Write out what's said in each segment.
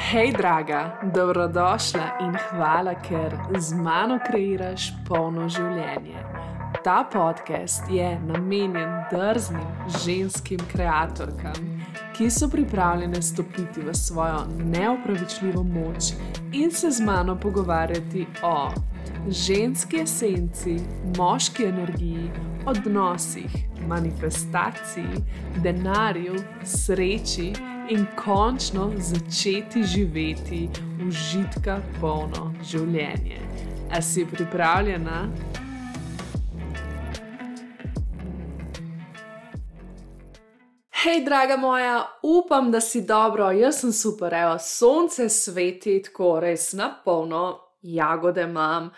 Hej, draga, dobrodošla in hvala, ker z mano kreiraš polno življenje. Ta podcast je namenjen drznim ženskim kreatorkam, ki so pripravljene stopiti v svojo neopravičljivo moč in se z mano pogovarjati o ženski esenci, moški energiji, odnosih, manifestaciji, denarju, sreči in končno začeti živeti užitka polno življenje. A si pripravljena? Hej, draga moja, upam, da si dobro, jaz sem super, evo, sonce sveti, tako res na polno, jagode imam,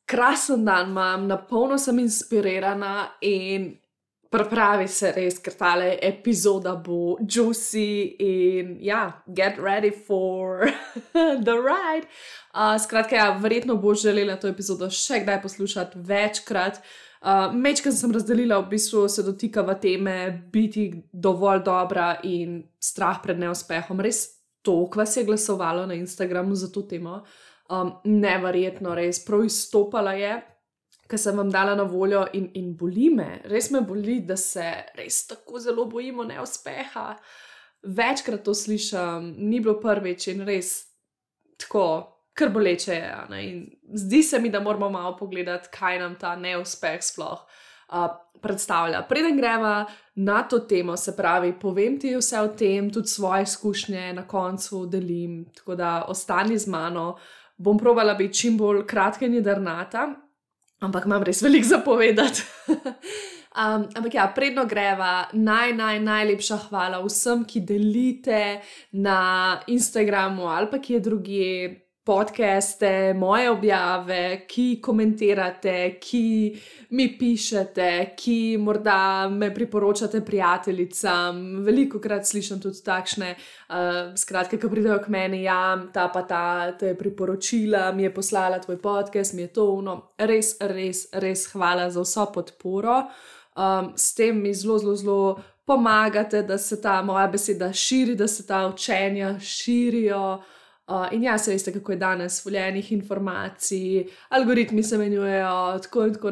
krasen dan imam, na polno sem inspirirana in pripravi se res, ker tale epizoda bo juicy in get ready for the ride. Skratka, verjetno boš želela to epizodo še kdaj poslušati večkrat. Mečkrat sem razdelila, v bistvu se dotikava teme biti dovolj dobra in strah pred neuspehom. Res toliko vas je glasovalo na Instagramu za to temo. Neverjetno, res prav izstopala je, ker sem vam dala na voljo in boli me. Res me boli, da se res tako zelo bojimo neuspeha. Večkrat to slišam, ni bilo prvič in res tako kar boleče je. Ne? In zdi se mi, da moramo malo pogledati, kaj nam ta neuspeh sploh predstavlja. Preden greva na to temo, se pravi, povem ti vse o tem, tudi svoje izkušnje na koncu delim, tako da ostani z mano. Bom probala biti čim bolj kratka in jedrnata, ampak imam res veliko za povedati. Ampak predno greva, najlepša hvala vsem, ki delite na Instagramu ali pa kje drugje podcaste, moje objave, ki komentirate, ki mi pišete, ki morda me priporočate prijateljicam. Velikokrat slišim tudi takšne, skratka, ko pridejo k meni, ta pa ta te je priporočila, mi je poslala tvoj podcast, mi je to ono. Res hvala za vso podporo. S tem mi zelo pomagate, da se ta moja beseda širi, da se ta učenja širijo. In se veste, kako je danes voljenih informacij, algoritmi se menjujejo, tako in tako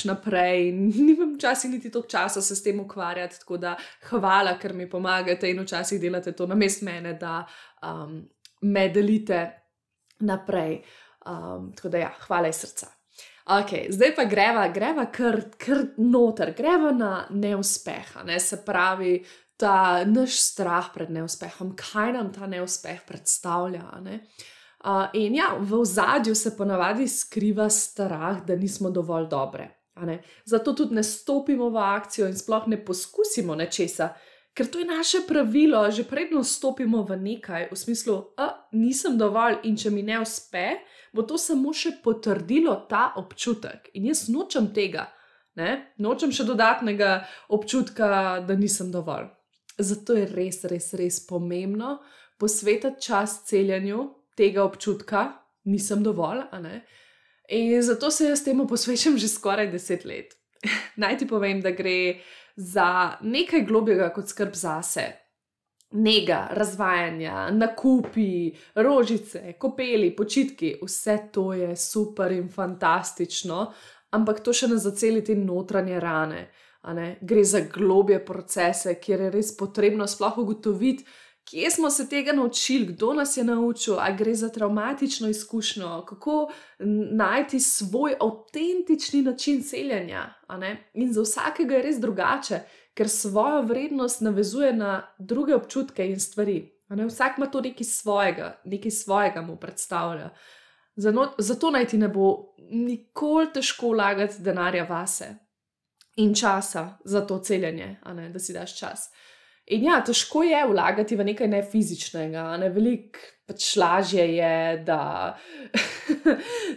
naprej. Nimam včasih niti toliko časa se s tem ukvarjati, tako da hvala, ker mi pomagate in včasih delate to namesto mene, da me delite naprej. Tako da hvala iz srca. Zdaj pa greva kar noter, greva na neuspeh, ne, se pravi, ta naš strah pred neuspehom, kaj nam ta neuspeh predstavlja. Ne? In v ozadju se ponavadi skriva strah, da nismo dovolj dobre. Zato tudi ne stopimo v akcijo in sploh ne poskusimo nečesa, ker to je naše pravilo, že predno stopimo v nekaj, v smislu, nisem dovolj in če mi ne uspe, bo to samo še potrdilo ta občutek. In jaz nočem tega, ne? Nočem še dodatnega občutka, da nisem dovolj. Zato je res pomembno posvetiti čas celjenju tega občutka, nisem dovolj, in zato se jaz temu posvečam že skoraj 10 let. Naj ti povem, da gre za nekaj globjega kot skrb zase. Nega, razvajanja, nakupi, rožice, kopeli, počitki, vse to je super in fantastično, ampak to še ne zaceli te notranje rane. Gre za globje procese, kjer je res potrebno sploh ugotoviti, kje smo se tega naučili, kdo nas je naučil, ali gre za travmatično izkušnjo, kako najti svoj avtentični način celjenja. In za vsakega je res drugače, ker svojo vrednost navezuje na druge občutke in stvari. Vsak ima to nekaj svojega mu predstavlja. Zato naj ti ne bo nikoli težko vlagati denarja vase. In časa za to celjenje, da si daš čas. In težko je vlagati v nekaj nefizičnega, veliko lažje je,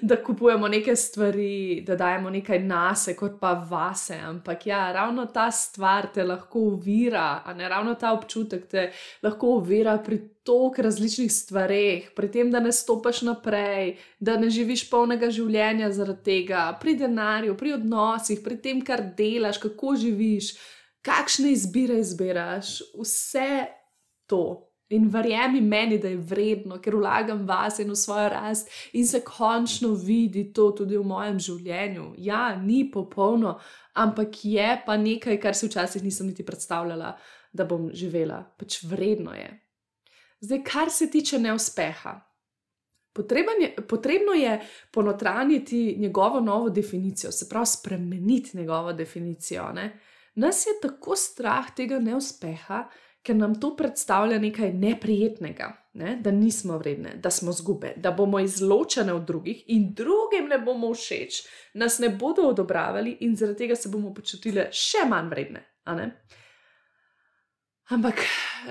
da kupujemo neke stvari, da dajemo nekaj nase, kot pa vase, ampak ravno ta stvar te lahko ovira, ravno ta občutek te lahko ovira pri toliko različnih stvareh, pri tem, da ne stopaš naprej, da ne živiš polnega življenja zaradi tega, pri denarju, pri odnosih, pri tem, kar delaš, kako živiš, kakšne izbire izbiraš, vse to In verjemi meni, da je vredno, ker vlagam vase in v svojo rast in se končno vidi to tudi v mojem življenju. Ja, ni popolno, ampak je pa nekaj, kar si včasih nisem niti predstavljala, da bom živela. Pač vredno je. Zdaj, kar se tiče neuspeha. Potrebno je ponotranjiti njegovo novo definicijo, se pravi spremeniti njegovo definicijo. Ne? Nas je tako strah tega neuspeha, ker nam to predstavlja nekaj neprijetnega, ne? Da nismo vredne, da smo izgube, da bomo izločene od drugih in drugim ne bomo všeč, nas ne bodo odobravali in zaradi tega se bomo počutile še manj vredne. Ampak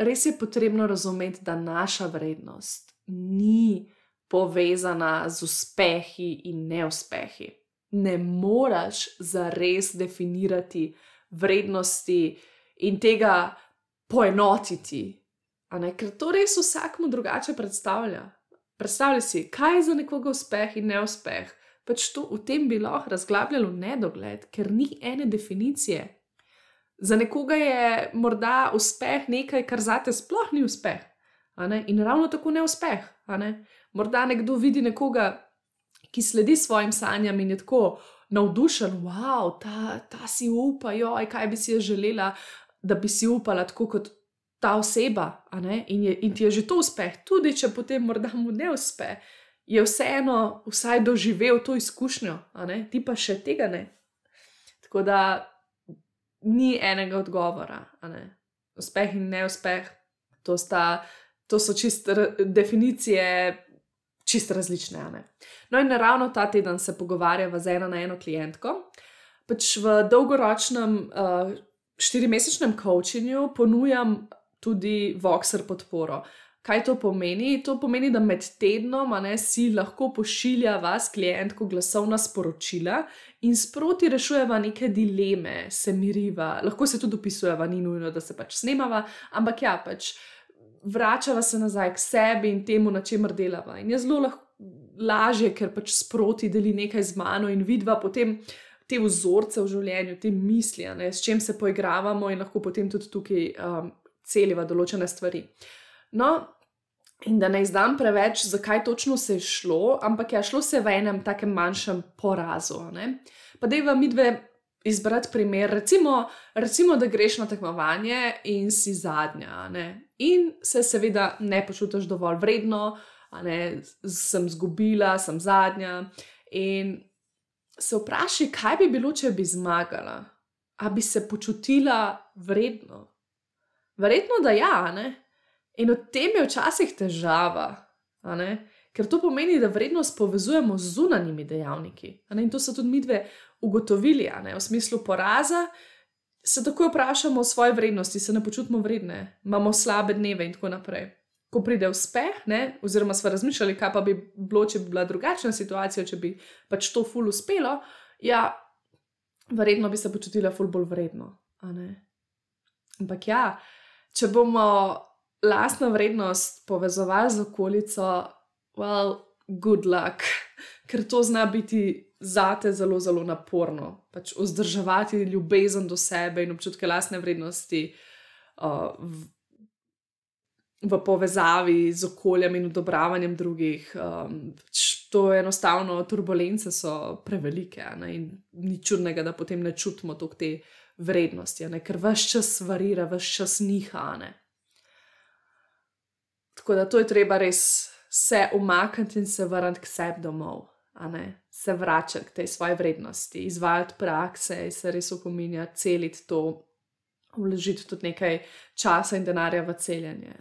res je potrebno razumeti, da naša vrednost ni povezana z uspehi in neuspehi. Ne moreš zares definirati vrednosti in tega poenotiti, ker to res vsakmu drugače predstavlja. Predstavljaj si, kaj je za nekoga uspeh in neuspeh. Pač to v tem bi lahko razglabljalo nedogled, ker ni ene definicije. Za nekoga je morda uspeh nekaj, kar zate sploh ni uspeh. In ravno tako neuspeh. Morda nekdo vidi nekoga, ki sledi svojim sanjam in je tako navdušen, wow, ta si upa, joj, kaj bi si jaz želela, da bi si upala tako kot ta oseba, in ti je že to uspeh, tudi če potem morda mu ne uspe, je vseeno vsaj doživel to izkušnjo, ti pa še tega ne. Tako da ni enega odgovora, uspeh in neuspeh, to so definicije čisto različne. No in ravno ta teden se pogovarjava z eno na eno klientko. Pač v dolgoročnem 4-mesečnem coachingu ponujam tudi Voxer podporo. Kaj to pomeni? To pomeni, da med tednom si lahko pošilja vas klientko glasovna sporočila in sproti rešujeva neke dileme, se miriva, lahko se tudi opisujeva, ni nujno, da se pač snemava, ampak ja, pač vračava se nazaj k sebi in temu, na čemer delava. In je zelo lažje, ker pač sproti deli nekaj z mano in vidva potem te vzorce v življenju, te misli, s čem se poigravamo in lahko potem tudi tukaj celiva določene stvari. No, in da ne izdam preveč, zakaj točno se je šlo, ampak šlo se v enem takem manjšem porazu. Pa dajva midve izbrati primer, recimo, da greš na tekmovanje in si zadnja, in se seveda ne počutiš dovolj vredno, sem izgubila, sem zadnja in se vprašaj, kaj bi bilo, če bi zmagala, a bi se počutila vredno? Verjetno, da ja, in v tem je včasih težava, ker to pomeni, da vrednost povezujemo z zunanjimi dejavniki, in to so tudi midve ugotovili, v smislu poraza, se takoj vprašamo o svoji vrednosti, se ne počutimo vredne, imamo slabe dneve in tako naprej. Ko pride uspeh, oziroma sva razmišljali, kaj pa bi bilo, če bi bila drugačna situacija, če bi pač to ful uspelo, verjetno bi se počutila ful bolj vredno, Ampak če bomo lastno vrednost povezovali z okolico, well, good luck, ker to zna biti zate zelo, zelo naporno. Pač vzdrževati ljubezen do sebe in občutke lastne vrednosti v povezavi z okoljem in odobravanjem drugih. To enostavno, turbulence so prevelike, in ni čudnega, da potem ne čutimo toliko te vrednosti, ker ves čas varira, ves čas niha. Tako da to je treba res se umakniti in se vrniti k sebi domov, se vračati k tej svoji vrednosti, izvajati prakse, se res opominjati, celiti to, vložiti tudi nekaj časa in denarja v celjenje.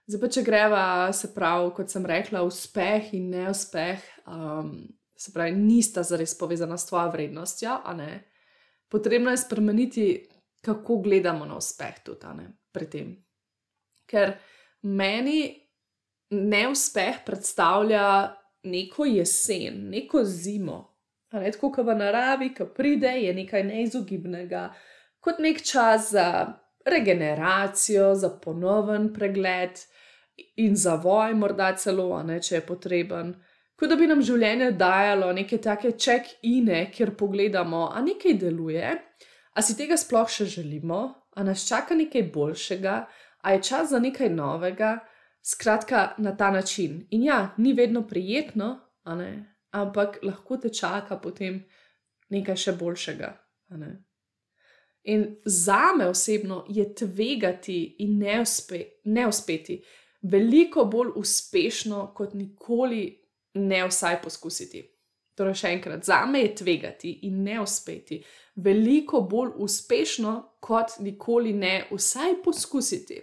Zdaj pa, če greva, se pravi, kot sem rekla, uspeh in neuspeh, se pravi, nista zares povezana s tvojo vrednostjo, Potrebno je spremeniti, kako gledamo na uspeh tudi, pri tem. Ker meni neuspeh predstavlja neko jesen, neko zimo. Tako kot v naravi, ko pride, je nekaj neizogibnega, kot nek čas za regeneracijo, za ponoven pregled in zavoj morda celo, če je potreben. Kot da bi nam življenje dajalo neke take check-ine, kjer pogledamo, a nekaj deluje, a si tega sploh še želimo, a nas čaka nekaj boljšega, A je čas za nekaj novega, skratka na ta način. In ja, ni vedno prijetno, a ne? Ampak lahko te čaka potem nekaj še boljšega. A ne? In zame osebno je tvegati in ne uspeti veliko bolj uspešno, kot nikoli ne vsaj poskusiti. Torej še enkrat, zame je tvegati in ne uspeti veliko bolj uspešno, kot nikoli ne vsaj poskusiti.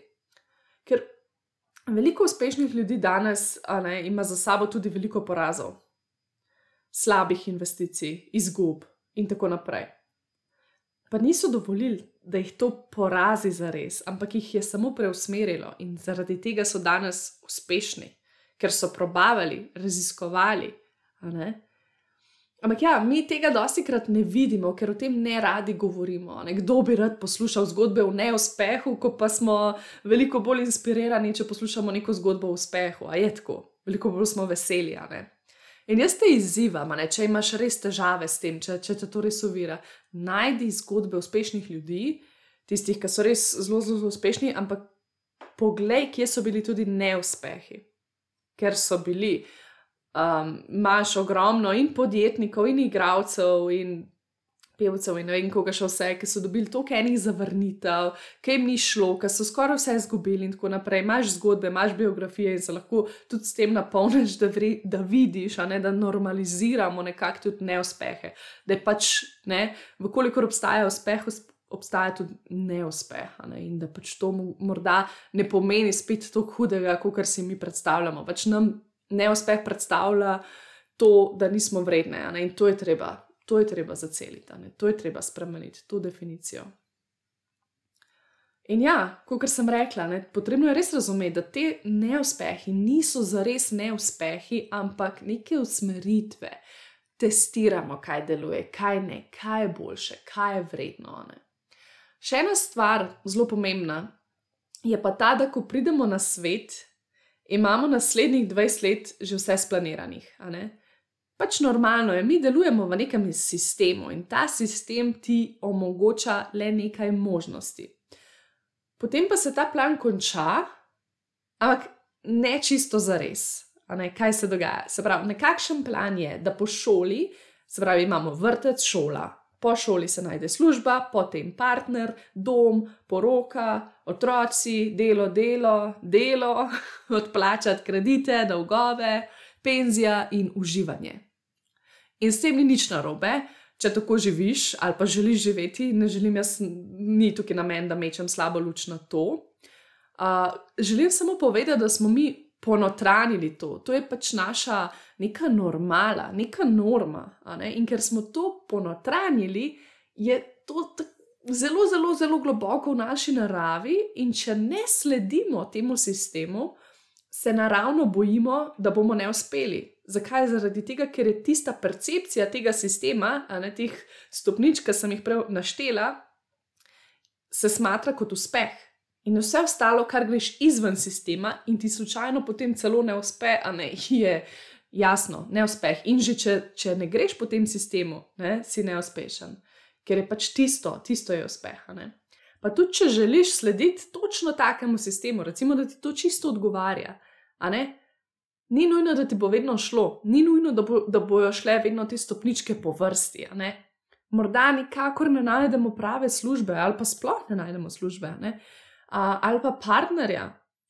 Ker veliko uspešnih ljudi danes ima za sabo tudi veliko porazov, slabih investicij, izgub in tako naprej. Pa niso dovolili, da jih to porazi zares, ampak jih je samo preusmerilo in zaradi tega so danes uspešni, ker so probavali, raziskovali. Ampak ja, mi tega dostikrat ne vidimo, ker o tem ne radi govorimo. Kdo bi rad poslušal zgodbe o neuspehu, ko pa smo veliko bolj inspirirani, če poslušamo neko zgodbo o uspehu. A je tako? Veliko bolj smo veseli, In jaz te izzivam, če imaš res težave s tem, če te to res ovira, najdi zgodbe uspešnih ljudi, tistih, ki so res zelo, zelo uspešni, ampak poglej, kje so bili tudi neuspehi. Ker so bili, imaš ogromno in podjetnikov, in igralcev, in pevcev, in ne vem koga še vse, ki so dobili toliko enih zavrnitev, ki jim ni šlo, ki so skoraj vse izgubili in tako naprej. Imaš zgodbe, imaš biografije in se lahko tudi s tem napolniš, da vidiš, da normaliziramo nekako tudi neuspehe. Da je pač, vkolikor obstaja uspeh, obstaja tudi neuspeh. In da pač to morda ne pomeni spet toliko hudega, kot si mi predstavljamo. Pač nam neuspeh predstavlja to, da nismo vredne, in to je treba. To je treba zaceliti, to je treba spremeniti, to definicijo. In ja, kot sem rekla, potrebno je res razumeti, da te neuspehi niso zares neuspehi, ampak neke usmeritve. Testiramo, kaj deluje, kaj ne, kaj je boljše, kaj je vredno. Še ena stvar, zelo pomembna, je pa ta, da ko pridemo na svet, imamo naslednjih 20 let že vse splaniranih, Pač normalno je, mi delujemo v nekem sistemu in ta sistem ti omogoča le nekaj možnosti. Potem pa se ta plan konča, ampak ne čisto zares. Kaj se dogaja? Se pravi, nekakšen plan je, da po šoli, se pravi, imamo vrtec, šola, po šoli se najde služba, potem partner, dom, poroka, otroci, delo, odplačati kredite, dolgove, penzija in uživanje. In s tem ni nič narobe, če tako živiš ali pa želiš živeti, ne želim jaz, ni tukaj namen, da mečem slabo luč na to. Želim samo povedati, da smo mi ponotranili to. To je pač naša neka normala, neka norma. In ker smo to ponotranili, je to zelo, zelo, zelo globoko v naši naravi in če ne sledimo temu sistemu, se naravno bojimo, da bomo neuspeli. Zakaj? Zaradi tega, ker je tista percepcija tega sistema, teh stopničk, ki sem jih prej naštela, se smatra kot uspeh. In vse ostalo, kar greš izven sistema in ti slučajno potem celo ne uspe, je jasno, neuspeh. In že če ne greš po tem sistemu, si neuspešen. Ker je pač tisto je uspeh. Pa tudi, če želiš slediti točno takemu sistemu, recimo, da ti to čisto odgovarja, ni nujno, da ti bo vedno šlo, ni nujno, da bojo šle vedno te stopničke po vrsti, Morda nikakor ne najdemo prave službe ali pa sploh ne najdemo službe, ali pa partnerja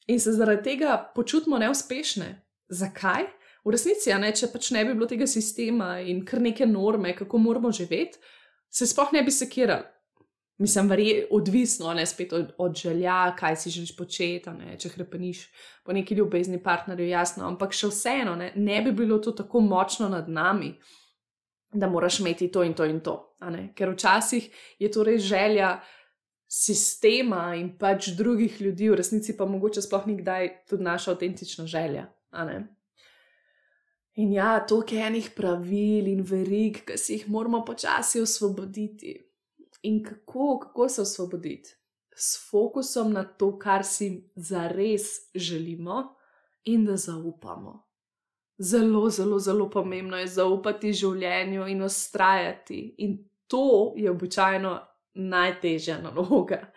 in se zaradi tega počutimo neuspešne. Zakaj? V resnici, če pač ne bi bilo tega sistema in kar neke norme, kako moramo živeti, se sploh ne bi sekirali. Mislim, odvisno, spet od želja, kaj si želiš početi, če hrepeniš po neki ljubezni partnerju, jasno, ampak še vseeno, ne bi bilo to tako močno nad nami, da moraš imeti to in to in to, ker včasih je to res želja sistema in pač drugih ljudi, v resnici pa mogoče sploh nikdaj tudi naša avtentična želja, In ja, toliko enih pravil in verig, ki si jih moramo počasi osvoboditi. In kako se osvoboditi? S fokusom na to, kar si zares želimo in da zaupamo. Zelo, zelo, zelo pomembno je zaupati življenju in vztrajati. In to je običajno najtežja naloga.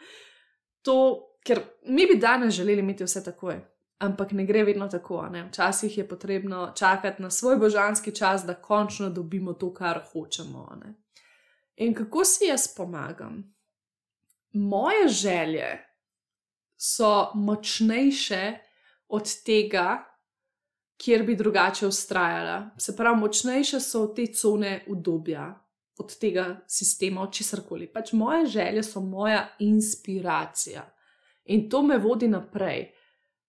To ker mi bi danes želeli imeti vse takoj, ampak ne gre vedno tako, ne? Včasih je potrebno čakati na svoj božanski čas, da končno dobimo to, kar hočemo, ne? In kako si jaz pomagam? Moje želje so močnejše od tega, kjer bi drugače vztrajala. Se pravi, močnejše so od te cone udobja, od tega sistema, od česarkoli. Pač moje želje so moja inspiracija. In to me vodi naprej.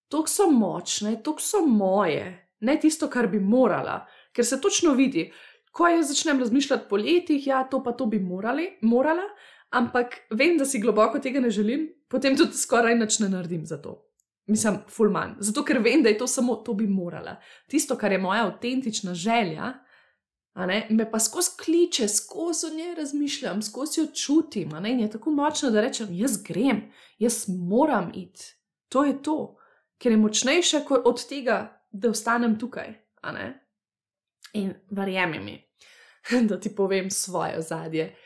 Toliko so močne, toliko so moje, ne tisto, kar bi morala. Ker se točno vidi, ko jaz začnem razmišljati po letih, ja, to pa to bi morala, ampak vem, da si globoko tega ne želim, potem tudi skoraj nič ne naredim za to. Mislim, ful manj. Zato, ker vem, da je to samo to bi morala. Tisto, kar je moja avtentična želja, me pa skozi kliče, skozi o njej razmišljam, skozi jo čutim, in je tako močno, da rečem, jaz grem, jaz moram iti. To je to, ker je močnejše od tega, da ostanem tukaj, In verjemi mi, da ti povem svoje ozadje.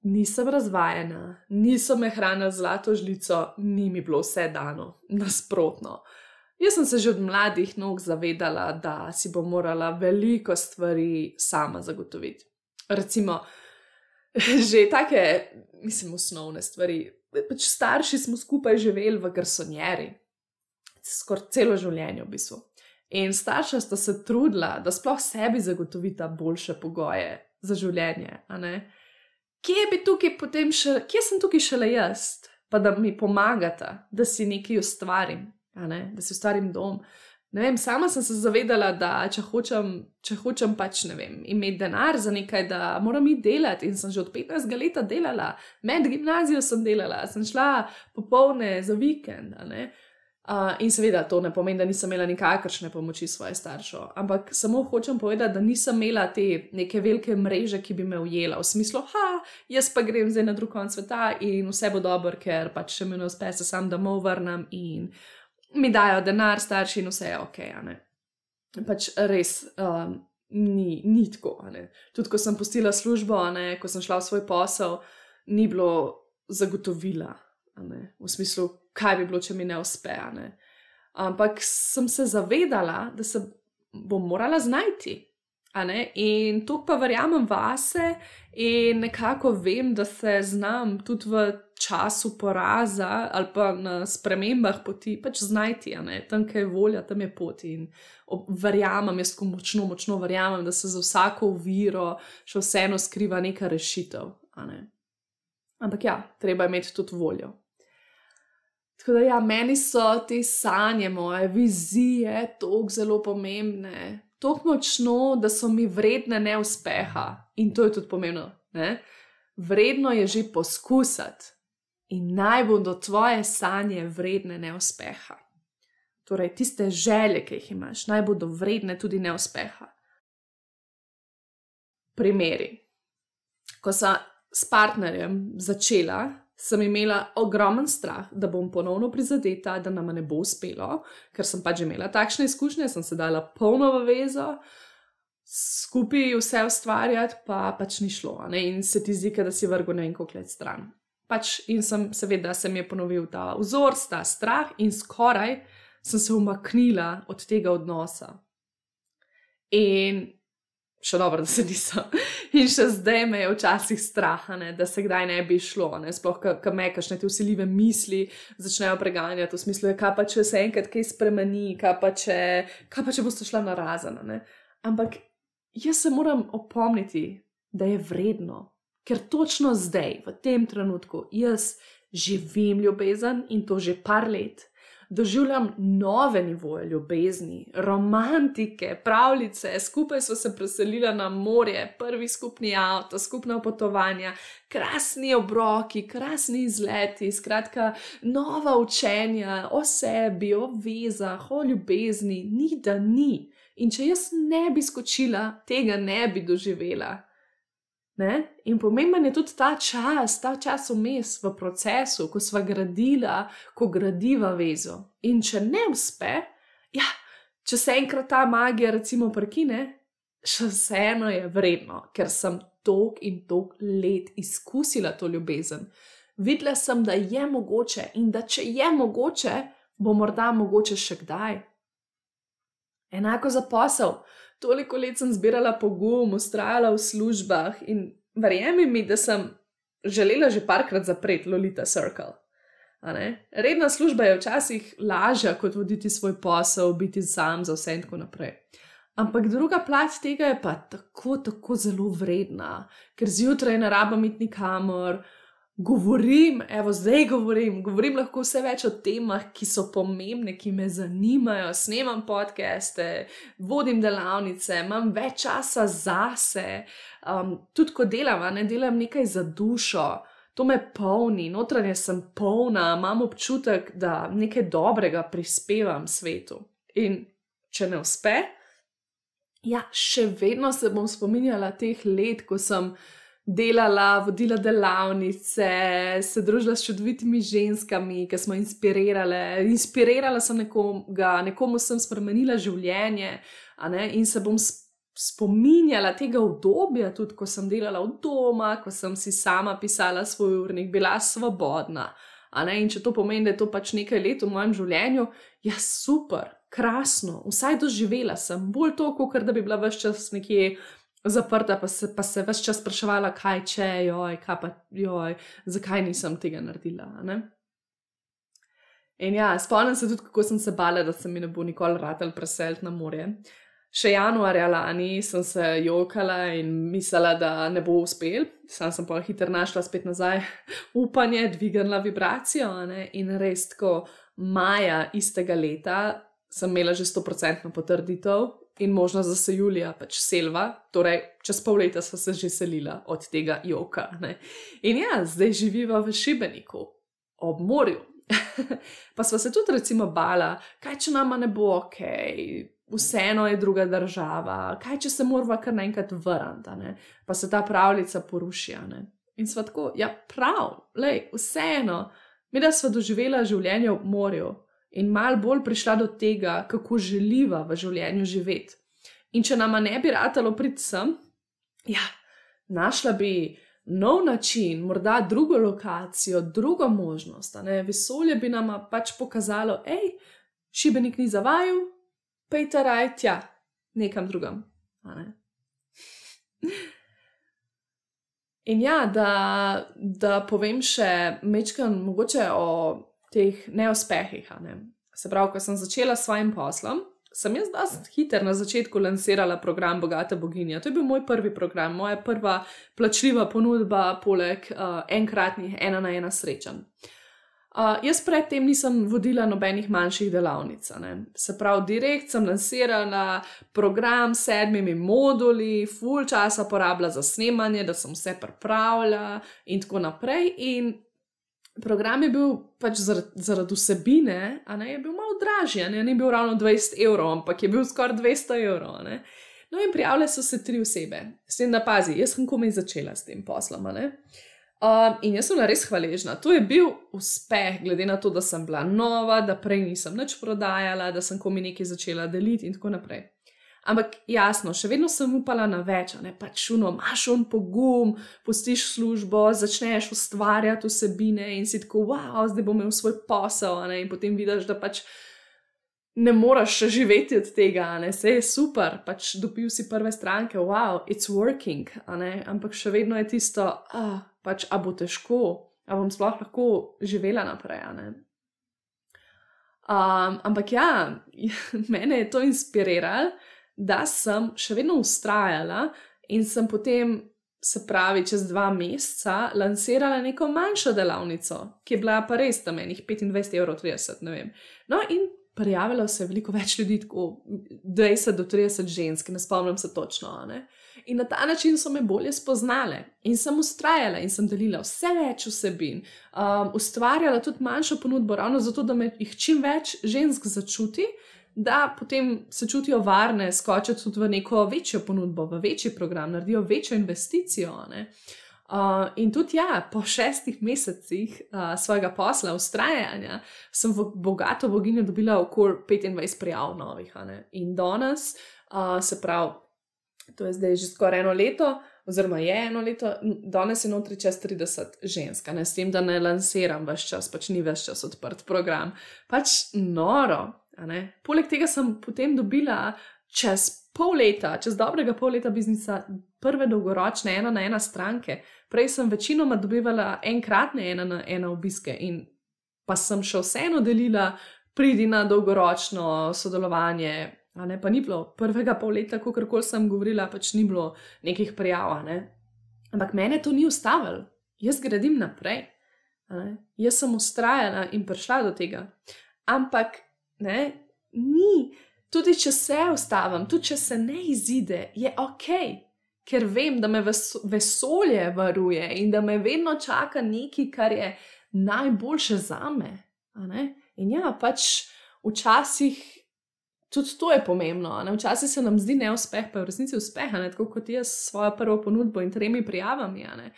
Nisem razvajena, niso me hranili zlato žlico, ni mi bilo vse dano, nasprotno. Jaz sem se že od mladih nog zavedala, da si bom morala veliko stvari sama zagotoviti. Recimo, že take, osnovne stvari. Pač starši smo skupaj živeli v garsonjeri, skoraj celo življenje v bistvu. In starša sta se trudila, da sploh sebi zagotovita boljše pogoje za življenje, Kje sem tukaj šele jaz, pa da mi pomagata, da si nekaj ustvarim, da si ustvarim dom. Ne vem, sama sem se zavedala, da če hočem pač, imeti denar za nekaj, da moram iti delati, in sem že od 15 leta delala, med gimnazijo sem delala, sem šla popoldne za vikend, in seveda to ne pomeni, da nisem imela nikakršne pomoči svoje staršev, ampak samo hočem povedati, da nisem imela te neke velike mreže, ki bi me ujela, v smislu, jaz pa grem zdaj na drug konec sveta in vse bo dobro, ker pač še mi ne uspe, se sam domov vrnem in mi dajo denar starši in vse je okej, Pač res ni tako, Tudi ko sem pustila službo, ko sem šla v svoj posel, ni bilo zagotovila, v smislu, kaj bi bilo, če mi ne uspe, Ampak sem se zavedala, da se bom morala znajti, In to pa verjamem vase in nekako vem, da se znam tudi v času poraza ali pa na spremembah poti pač znajti, Tam, kjer je volja, tam je pot in verjamem, jaz ko močno verjamem, da se za vsako oviro še vseeno skriva neka rešitev, Ampak ja, treba imeti tudi voljo. Tako da ja, meni so te sanje moje, vizije toliko zelo pomembne, toliko močno, da so mi vredne neuspeha. In to je tudi pomembno, Vredno je že poskusati in naj bodo tvoje sanje vredne neuspeha. Torej, tiste želje, ki jih imaš, naj bodo vredne tudi neuspeha. Primeri. Ko sem s partnerjem začela, sem imela ogromen strah, da bom ponovno prizadeta, da nama ne bo uspelo, ker sem pač imela takšne izkušnje, sem se dala polno v vezo, skupaj vse ustvarjati, pa pač ni šlo, In se ti zdi, da si vrgel ne vem koliko let stran. In seveda se mi je ponovil ta vzor, ta strah in skoraj sem se umaknila od tega odnosa. In še dobro, da se nisem. In še zdaj me je včasih strah, da se kdaj ne bi šlo, sploh, ko me kakšne te vsiljive misli začnejo preganjati, v smislu, kaj pa če se enkrat kaj spremeni, kaj pa če boste šla narazen, Ampak jaz se moram opomniti, da je vredno, ker točno zdaj, v tem trenutku, jaz živim ljubezen in to že par let, doživljam nove nivoje ljubezni, romantike, pravljice, skupaj smo se preselili na morje, prvi skupni avto, skupna potovanja, krasni obroki, krasni izleti, skratka, nova učenja o sebi, o vezah, o ljubezni, ni da ni. In če jaz ne bi skočila, tega ne bi doživela. In pomemben je tudi ta čas vmes v procesu, ko sva gradila, ko gradiva vezo. In če ne uspe, če se enkrat ta magija recimo prekine, še vseeno je vredno, ker sem toliko in toliko let izkusila to ljubezen. Videla sem, da je mogoče in da če je mogoče, bo morda mogoče še kdaj. Enako za posel. Toliko let sem zbirala pogum, vztrajala v službah in verjemi mi, da sem želela že parkrat zapreti Lolita Circle. Redna služba je včasih lažja kot voditi svoj posel, biti sam za vse in tako naprej. Ampak druga plat tega je pa tako zelo vredna, ker zjutraj ne rabim iti nikamor, zdaj govorim lahko vse več o temah, ki so pomembne, ki me zanimajo, snemam podcaste, vodim delavnice, imam več časa zase, tudi ko delam nekaj za dušo, to me polni, notranje sem polna, imam občutek, da nekaj dobrega prispevam svetu. In če ne uspe, še vedno se bom spominjala teh let, ko sem delala, vodila delavnice, se družila s čudovitimi ženskami, ki smo inspirirala sem nekomu sem spremenila življenje, in se bom spominjala tega obdobja, tudi ko sem delala od doma, ko sem si sama pisala svoj urnik, bila svobodna. In če to pomeni, da je to pač nekaj let v mojem življenju, super, krasno, vsaj doživela sem, bolj to, kot da bi bila ves čas nekje zaprta, pa se ves čas spraševala, kaj če, zakaj nisem tega naredila. In spomnim se tudi, kako sem se bala, da se mi ne bo nikoli ratalo preseliti na morje. Še januarja lani sem se jokala in mislila, da ne bo uspel. Sam sem pa hitro našla spet nazaj upanje, dvignila vibracijo, in res tako maja istega leta sem imela že 100% potrditev in možnost, da se julija pač selva, torej čez pol leta sva se že selila od tega joka. In zdaj živiva v Šibeniku, ob morju. Pa sva se tudi recimo bala, kaj če nama ne bo okej, vseeno je druga država, kaj če se morava kar naenkrat vrniti, pa se ta pravljica poruši. In sva tako, prav, vseeno, mi da sva doživela življenje ob morju in malo bolj prišla do tega, kako želiva v življenju živeti. In če nama ne bi ratalo priti sem, našla bi nov način, morda drugo lokacijo, drugo možnost. Vesolje bi nama pač pokazalo, Šibenik ni za vaju, pejte raj tja, nekam drugam. In da povem še majčkeno mogoče o teh neuspehih. Se pravi, ko sem začela s svojim poslom, sem jaz dosti hitro na začetku lansirala program Bogata boginja. To je bil moj prvi program, moja prva plačljiva ponudba poleg enkratnih 1-na-1 srečanj. Jaz predtem nisem vodila nobenih manjših delavnic. Se pravi, direkt sem lansirala program s 7 moduli, ful časa porabila za snemanje, da sem vse pripravila in tako naprej. In program je bil pač zaradi vsebine, je bil malo dražji, ni bil ravno 20 evrov, ampak je bil skoraj 200 evrov. No in prijavile so se 3 osebe. S tem, da pazi, jaz sem komaj začela s tem poslom. In jaz sem bila res hvaležna. To je bil uspeh, glede na to, da sem bila nova, da prej nisem nič prodajala, da sem komaj nekaj začela deliti in tako naprej. Ampak jasno, še vedno sem upala na več, pač imaš pogum, pustiš službo, začneš ustvarjati vsebine in si tako, zdaj bom imel svoj posel, in potem vidiš, da pač ne moraš še živeti od tega, saj je super, pač dobil si prve stranke, it's working, ampak še vedno je tisto, pač, a bo težko, a bom sploh lahko živela naprej, ampak mene je to inspiriralo, da sem še vedno vztrajala in sem potem, se pravi, čez 2 meseca lansirala neko manjšo delavnico, ki je bila pa res tam enih 25,30 €, ne vem. No in prijavilo se je veliko več ljudi, tako 20 do 30 žensk, ne spomnim se točno, In na ta način so me bolje spoznale in sem vztrajala in sem delila vse več vsebin, ustvarjala tudi manjšo ponudbo, ravno zato, da me jih čim več žensk začuti, da potem se čutijo varne, skočijo tudi v neko večjo ponudbo, v večji program, naredijo večjo investicijo. In tudi po 6 mesecih svojega posla, vztrajanja, sem v Bogato boginjo dobila okoli 25 prijav novih. In danes, se pravi, to je zdaj že skoraj 1 leto, oziroma je 1 leto, danes je notri čez 30 žensk, ne, s tem, da ne lansiram ves čas, pač ni ves čas odprt program. Pač noro, a ne. Poleg tega sem potem dobila čez dobrega pol leta biznisa prve dolgoročne 1-na-1 stranke. Prej sem večinoma dobivala enkratne 1-na-1 obiske in pa sem še vseeno delila, pridi na dolgoročno sodelovanje, a ne, pa ni bilo prvega pol leta, kakorkoli sem govorila, pač ni bilo nekih prijav, a ne. Ampak mene to ni ustavilo, jaz gradim naprej, a ne. Jaz sem vztrajala in prišla do tega. Ampak, ne, ni, tudi če se ustavim, tudi če se ne izide, je okej, ker vem, da me vesolje varuje in da me vedno čaka nekaj, kar je najboljše zame, a ne. In ja, pač včasih tudi to je pomembno, a ne? Včasih se nam zdi neuspeh, pa je v resnici uspeh, a ne? Tako kot jaz s svojo prvo ponudbo in 3 prijavami, a ne?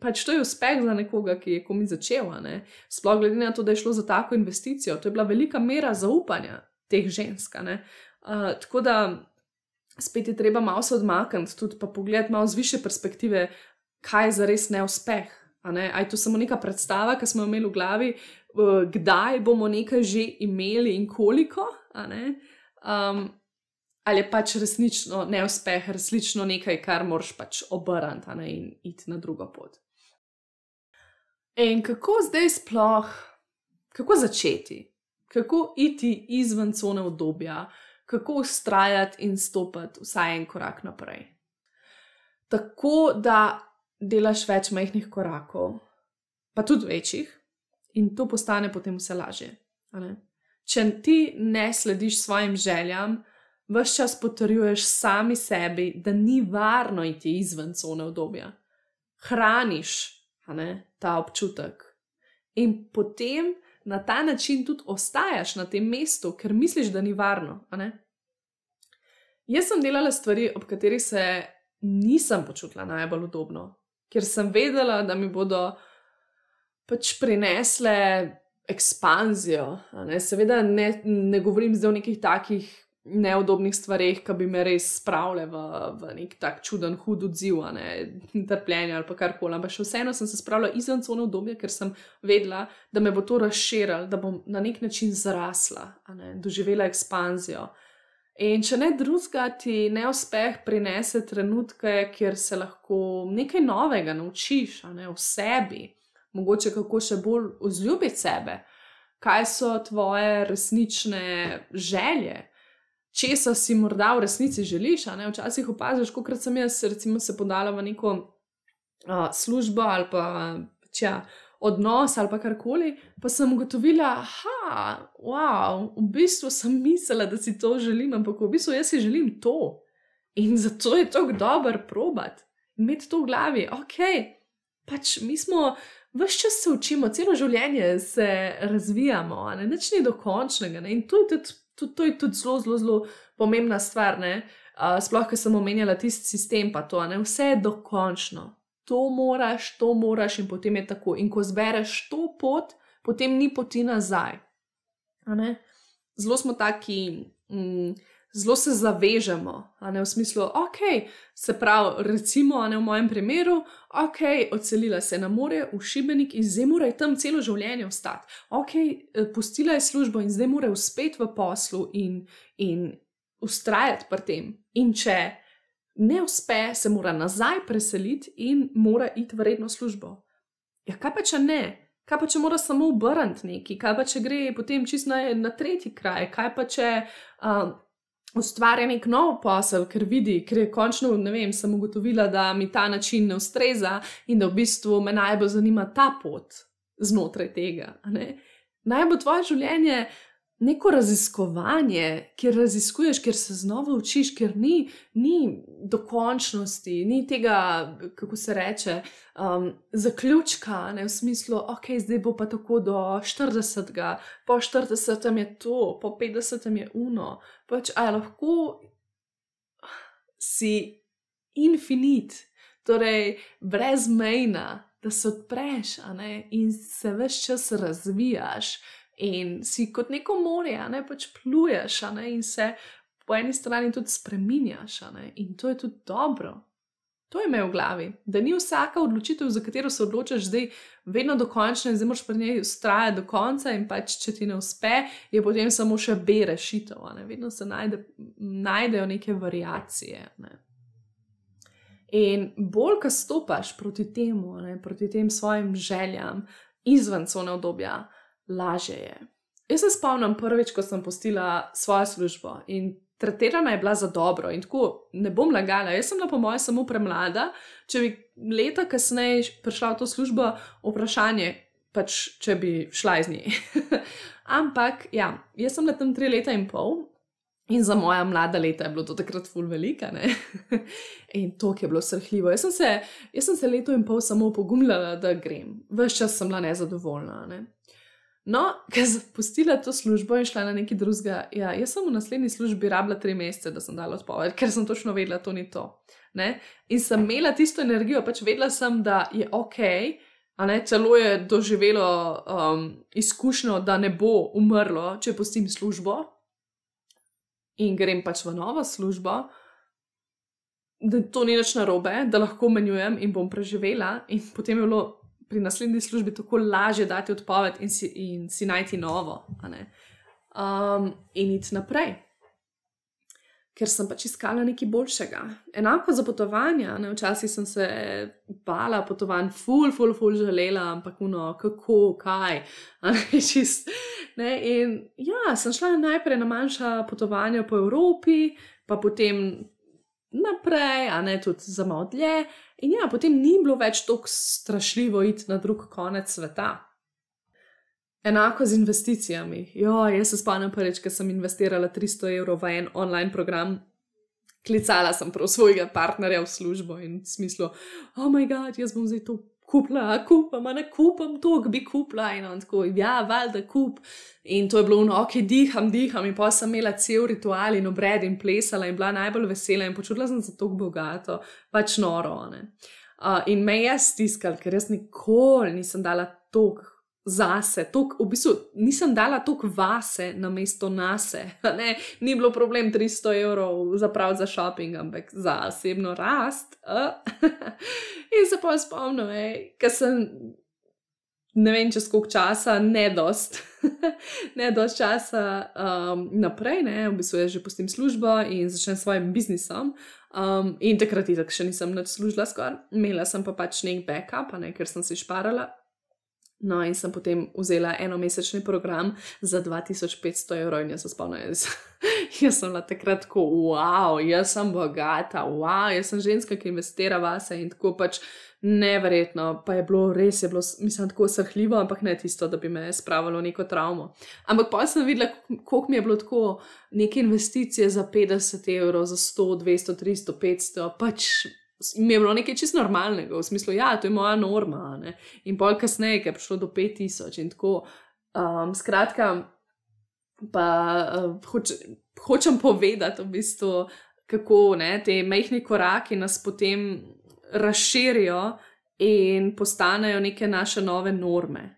Pač to je uspeh za nekoga, ki je komaj začel, a ne? Sploh glede na to, da je šlo za tako investicijo, to je bila velika mera zaupanja teh žensk, a ne? Tako da spet je treba malo se odmakniti, tudi pa pogledati malo z višje perspektive, kaj je zares neuspeh, a ne? A je to samo neka predstava, ki smo jo imeli v glavi, kdaj bomo nekaj že imeli in koliko, a ne? Ali je pač resnično neuspeh, resnično nekaj, kar moraš pač obrniti, a ne, in iti na drugo pot. In kako zdaj sploh, kako začeti? Kako iti izven cone udobja? Kako vztrajati in stopiti vsaj en korak naprej? Tako, da delaš več majhnih korakov, pa tudi večjih, in to postane potem vse lažje, a ne? Če ti ne slediš svojim željam, ves čas potrjuješ sami sebi, da ni varno iti izven cone udobja. Hraniš, a ne, ta občutek. In potem na ta način tudi ostajaš na tem mestu, ker misliš, da ni varno, a ne. Jaz sem delala stvari, ob katerih se nisem počutila najbolj udobno, ker sem vedela, da mi bodo pač prinesle ekspanzijo, a ne. Seveda ne govorim zdaj o nekih takih neudobnih stvareh, ki bi me res spravile v nek tak čuden, hud odziv, a ne, trpljenje ali pa karkoli, ampak še vseeno sem se spravila izven cone udobja, ker sem vedela, da me bo to razširilo, da bom na nek način zrasla, a ne, doživela ekspanzijo. In če ne drugega, ti neuspeh prinese trenutke, kjer se lahko nekaj novega naučiš, a ne, o sebi, mogoče kako še bolj vzljubiti sebe, kaj so tvoje resnične želje, česa si morda v resnici želiš, a ne, včasih opaziš, kolikrat sem jaz recimo se podala v neko službo ali pa odnos ali pa karkoli, pa sem ugotovila, v bistvu sem mislila, da si to želim, ampak v bistvu jaz si želim to. In zato je tako dobro probati, imeti to v glavi, pač mi smo, ves čas se učimo, celo življenje se razvijamo, a ne, nič ni dokončnega, ne, in to je tudi zelo, zelo, zelo pomembna stvar, ne, sploh, ko sem omenjala tisti sistem pa to, a ne, vse je dokončno. To moraš in potem je tako. In ko zbereš to pot, potem ni poti nazaj. A ne? Zelo smo taki, zelo se zavežemo, a ne, v smislu, se pravi, recimo, a ne, v mojem primeru, odselila se na morje v Šibenik in zdaj mora tam celo življenje ostati. Pustila je službo in zdaj mora uspeti v poslu in vztrajati pri tem. In če ne uspe, se mora nazaj preseliti in mora iti v redno službo. Ja, kaj pa če ne? Kaj pa če mora samo obrniti nekaj? Kaj pa če gre potem čisto na tretji kraj? Kaj pa če ustvarja nek nov posel, ker je končno, ne vem, sem ugotovila, da mi ta način ne ustreza in da v bistvu me najbolj zanima ta pot znotraj tega, a ne? Naj bo tvoje življenje neko raziskovanje, kjer raziskuješ, kjer se znova učiš, ker ni dokončnosti, ni tega, kako se reče, zaključka, ne, v smislu, zdaj bo pa tako do 40, po 40 je to, po 50 je pač, lahko si infinit, torej brezmejna, da se odpreš, a ne, in se ves čas razvijaš, in si kot neko morje, a ne, pač pluješ, a ne, in se po eni strani tudi spreminjaš, a ne, in to je tudi dobro. To je imel v glavi, da ni vsaka odločitev, za katero se odločaš zdaj, vedno dokončna in zdaj moraš pri njej vztrajati do konca in pač, če ti ne uspe, je potem samo še B rešitev. Vedno se najdejo neke variacije. In bolj, ko stopaš proti temu, proti tem svojim željam, izven cone obdobja, lažje je. Jaz se spomnim prvič, ko sem pustila svojo službo in tretirana je bila za dobro in tako ne bom lagala, jaz sem bila po moje samo premlada, če bi leta kasneje prišla v to službo, vprašanje, pač če bi šla iz nje. Ampak, ja, jaz sem bila tam 3 leta in pol in za moja mlada leta je bilo to takrat ful velika, in to, ki je bilo srhljivo. Jaz sem se leto in pol samo pogumljala, da grem. Ves čas sem bila nezadovoljna, No, ker sem pustila to službo in šla na nekaj drugega, ja, jaz sem v naslednji službi rabila 3 mesece, da sem dala odpoved, ker sem točno vedela, to ni to. In sem imela tisto energijo, pač vedela sem, da je okej, celo je doživelo izkušnjo, da ne bo umrlo, če pustim službo in grem pač v novo službo, da to ni nič narobe, da lahko menjujem in bom preživela in potem je bilo pri naslednji službi tako lažje dati odpoved in si najti novo, in iti naprej. Ker sem pač iskala nekaj boljšega. Enako za potovanja, včasih sem se bala potovanj, ful želela, ampak kako, kaj, In ja, sem šla najprej na manjša potovanja po Evropi, pa potem naprej, tudi za malo dlje. In ja, potem ni bilo več tako strašljivo iti na drug konec sveta. Enako z investicijami. Jaz se spomnim prvič, ko sem investirala 300 evrov v en online program. Klicala sem prav svojega partnerja v službo in v smislu, oh my god, jaz bom zdaj to kupam to, bi kupila. In on tako, ja, valjda kup. In to je bilo ok, diham. In pa sem imela cel ritual in obred in plesala in bila najbolj vesela in počutila sem se tako bogato, pač noro. In me je stiskal, ker jaz nikoli nisem dala toliko zase, v bistvu nisem dala toliko vase namesto nase. Ni bilo problem 300 evrov zapraviti za shopping, ampak za osebno rast. In se pa spomnim, ker sem, ne vem čez koliko časa, ne dost časa naprej, v bistvu jaz že pustim službo in začnem svojim biznisom. In takrat še nisem nič služila skoraj. Imela sem pa pač nek backup, ker sem si šparala. No, in sem potem vzela enomesečni program za 2500 evrov in jaz se spomnim, jaz sem bila takrat tako, wow, jaz sem bogata, wow, jaz sem ženska, ki investira vase in tako pač neverjetno, pa je bilo, mislim, tako srhljivo, ampak ne tisto, da bi me spravilo neko travmo. Ampak pa sem videla, koliko mi je bilo tako neke investicije za 50 evrov, za 100, 200, 300, 500, pač mi je bilo nekaj čisto normalnega, v smislu, ja, to je moja norma, in pol kasneje, ker je prišlo do 5000 in tako, skratka, pa hočem povedati v bistvu, kako, te majhni koraki nas potem razširijo in postanejo neke naše nove norme,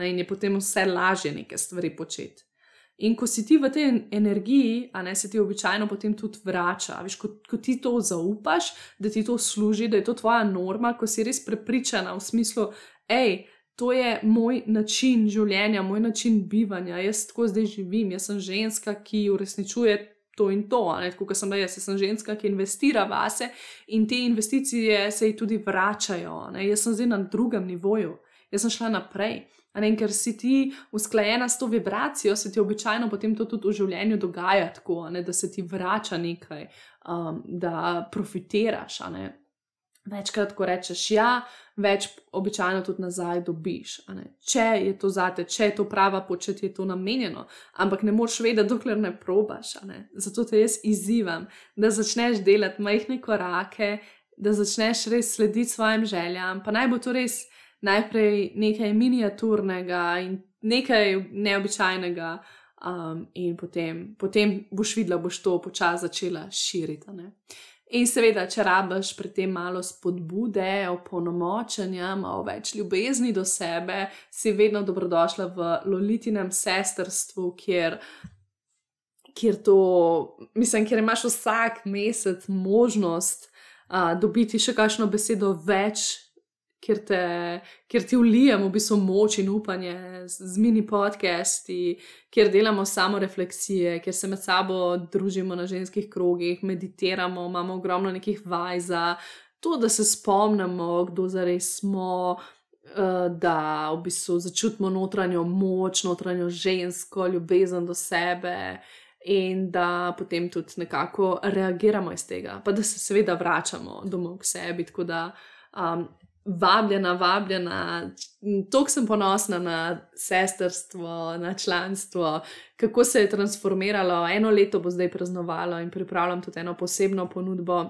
in je potem vse lažje neke stvari početi. In ko si ti v tej energiji, se ti običajno potem tudi vrača. Veš, ko ti to zaupaš, da ti to služi, da je to tvoja norma, ko si res prepričana v smislu, to je moj način življenja, moj način bivanja, jaz tako zdaj živim, jaz sem ženska, ki uresničuje to in to, tako kot sem da jaz sem ženska, ki investira vase in te investicije se ji tudi vračajo, jaz sem zdaj na drugem nivoju, jaz sem šla naprej. Ker si ti usklajena s to vibracijo, se ti običajno potem to tudi v življenju dogaja tako, da se ti vrača nekaj, da profitiraš. Večkrat, ko rečeš ja, več običajno tudi nazaj dobiš. Če je to zate, če je to prava pot, če ti je to namenjeno, ampak ne moreš vedeti, dokler ne probaš. Zato te jaz izzivam, da začneš delati majhne korake, da začneš res slediti svojim željam, pa naj bo to res najprej nekaj miniaturnega in nekaj neobičajnega, in potem boš videla, boš to počasi začela širiti. In seveda, če rabiš pri tem malo spodbude, opolnomočenja, malo več ljubezni do sebe, si vedno dobrodošla v Lolitinem sestrstvu, kjer imaš vsak mesec možnost dobiti še kakšno besedo več, kjer ti vlijem v bistvu moč in upanje z mini podcasti, kjer delamo samo refleksije, kjer se med sabo družimo na ženskih krogih, meditiramo, imamo ogromno nekih vaj za to, da se spomnimo, kdo zares smo, da v bistvu začutimo notranjo moč, notranjo žensko, ljubezen do sebe in da potem tudi nekako reagiramo iz tega, pa da se seveda vračamo domov k sebi, tako da vabljena, toliko sem ponosna na sestrstvo, na članstvo, kako se je transformiralo, 1 leto bo zdaj praznovalo in pripravljam tudi eno posebno ponudbo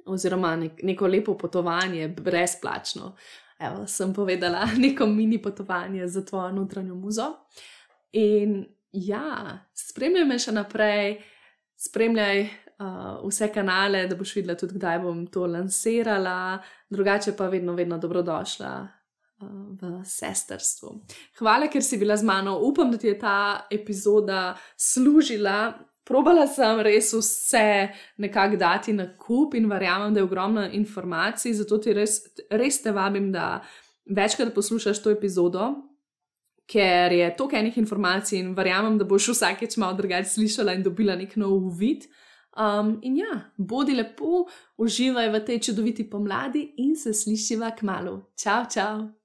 oziroma neko lepo potovanje, brezplačno. Evo, sem povedala, neko mini potovanje za tvojo notranjo muzo. In ja, spremljaj me še naprej, spremljaj vse kanale, da boš videla tudi, kdaj bom to lansirala, drugače pa vedno dobrodošla v sestrstvu. Hvala, ker si bila z mano, upam, da ti je ta epizoda služila. Probala sem res vse nekako dati na kup in verjamem, da je ogromno informacij, zato ti res te vabim, da večkrat poslušaš to epizodo, ker je toliko enih informacij in verjamem, da boš vsakeč malo drugače slišala in dobila nek nov uvid. In ja, bodi lepo, uživaj v tej čudoviti pomladi in se slišiva kmalu. Čau, čau!